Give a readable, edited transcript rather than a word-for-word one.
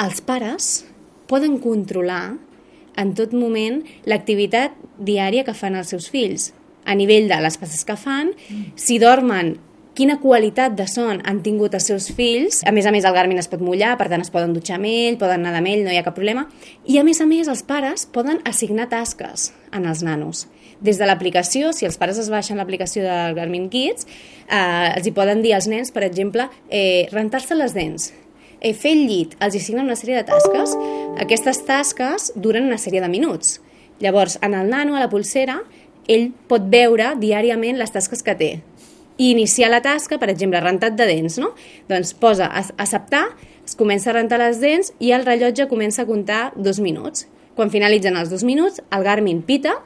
els pares poden controlar en tot moment l'activitat diària que fan els seus fills, a nivell de les passes que fan, si dormen, quina qualitat de son han tingut els seus fills. A més, el Garmin es pot mullar, per tant es poden dutxar amb ell, poden nedar amb ell, no hi ha cap problema. I a més, els pares poden assignar tasques en els nanos. Des de l'aplicació, si els pares es baixen l'aplicació del Garmin Kids, els hi poden dir als nens, per exemple, rentar-se les dents, fer el llit, els assignen una sèrie de tasques. Aquestes tasques duren una sèrie de minuts. Llavors, en el nano, a la polsera, ell pot veure diàriament les tasques que té i iniciar la tasca, per exemple, rentat de dents, no? Doncs posa acceptar, es comença a rentar les dents i el rellotge comença a comptar 2 minuts. Quan finalitzen els 2 minuts, el Garmin pita